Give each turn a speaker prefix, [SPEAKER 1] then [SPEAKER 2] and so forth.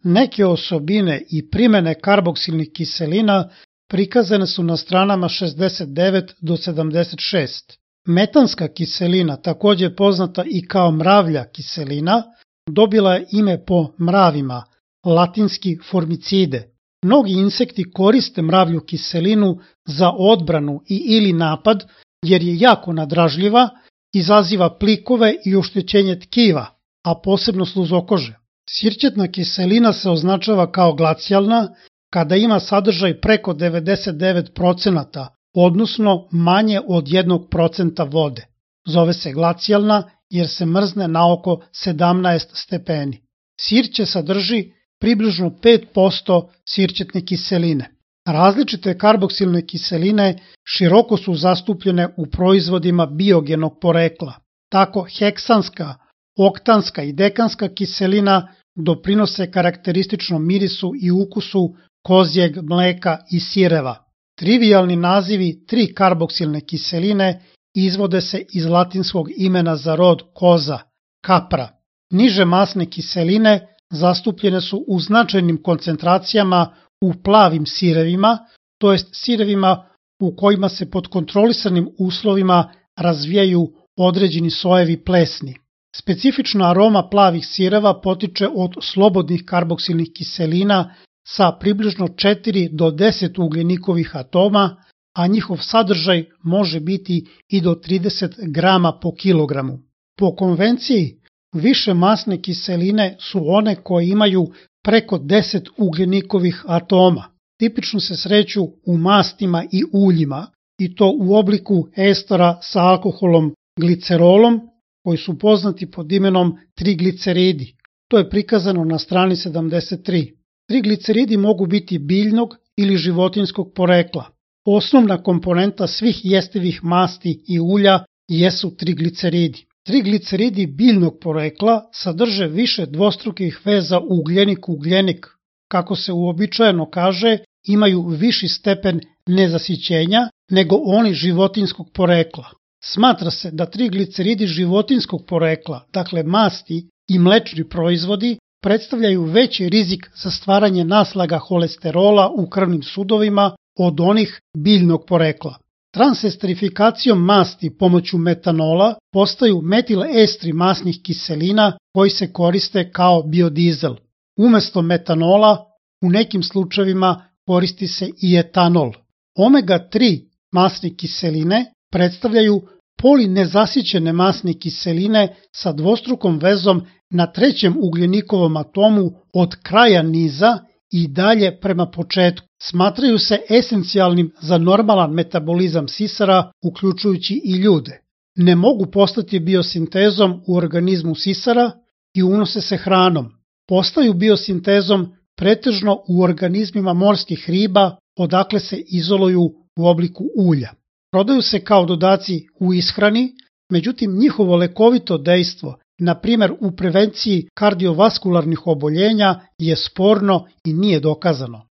[SPEAKER 1] Neke osobine i primene karboksilnih kiselina prikazane su na stranama 69 do 76. Metanska kiselina, takođe poznata i kao mravlja kiselina, dobila je ime po mravima, latinski formicide. Mnogi insekti koriste mravlju kiselinu za odbranu i ili napad jer je jako nadražljiva, izaziva plikove i oštećenje tkiva, a posebno sluzokože. Sirćetna kiselina se označava kao glacijalna kada ima sadržaj preko 99%, odnosno manje od 1% vode. Zove se glacijalna jer se mrzne na oko 17 stepeni. Sirće sadrži približno 5% sirćetne kiseline. Različite karboksilne kiseline široko su zastupljene u proizvodima biogenog porekla. Tako heksanska, oktanska i dekanska kiselina doprinose karakterističnom mirisu i ukusu kozjeg mleka i sireva. Trivijalni nazivi 3 karboksilne kiseline izvode se iz latinskog imena za rod koza, kapra. Niže masne kiseline zastupljene su u značajnim koncentracijama u plavim sirevima, to jest sirevima u kojima se pod kontrolisanim uslovima razvijaju određeni sojevi plesni. Specifična aroma plavih sireva potiče od slobodnih karboksilnih kiselina sa približno 4 do 10 ugljenikovih atoma, a njihov sadržaj može biti i do 30 grama po kilogramu. Po konvenciji, više masne kiseline su one koje imaju preko 10 ugljenikovih atoma. Tipično se sreću u mastima i uljima, i to u obliku estera sa alkoholom glicerolom, koji su poznati pod imenom trigliceridi. To je prikazano na strani 73. Trigliceridi mogu biti biljnog ili životinjskog porekla. Osnovna komponenta svih jestivih masti i ulja jesu trigliceridi. Trigliceridi biljnog porekla sadrže više dvostrukih veza ugljenik-ugljenik. Kako se uobičajeno kaže, imaju viši stepen nezasićenja nego oni životinjskog porekla. Smatra se da trigliceridi životinjskog porekla, dakle masti i mlečni proizvodi, predstavljaju veći rizik za stvaranje naslaga holesterola u krvnim sudovima od onih biljnog porekla. Transesterifikacijom masti pomoću metanola postaju metilestri masnih kiselina koji se koriste kao biodizel. Umesto metanola u nekim slučajevima koristi se i etanol. Omega-3 masne kiseline predstavljaju polinezasićene masne kiseline sa dvostrukom vezom na trećem ugljenikovom atomu od kraja niza i dalje prema početku. Smatraju se esencijalnim za normalan metabolizam sisara, uključujući i ljude. Ne mogu postati biosintezom u organizmu sisara i unose se hranom. Postaju biosintezom pretežno u organizmima morskih riba, odakle se izoluju u obliku ulja. Prodaju se kao dodaci u ishrani, međutim njihovo lekovito dejstvo, na primjer u prevenciji kardiovaskularnih oboljenja, je sporno i nije dokazano.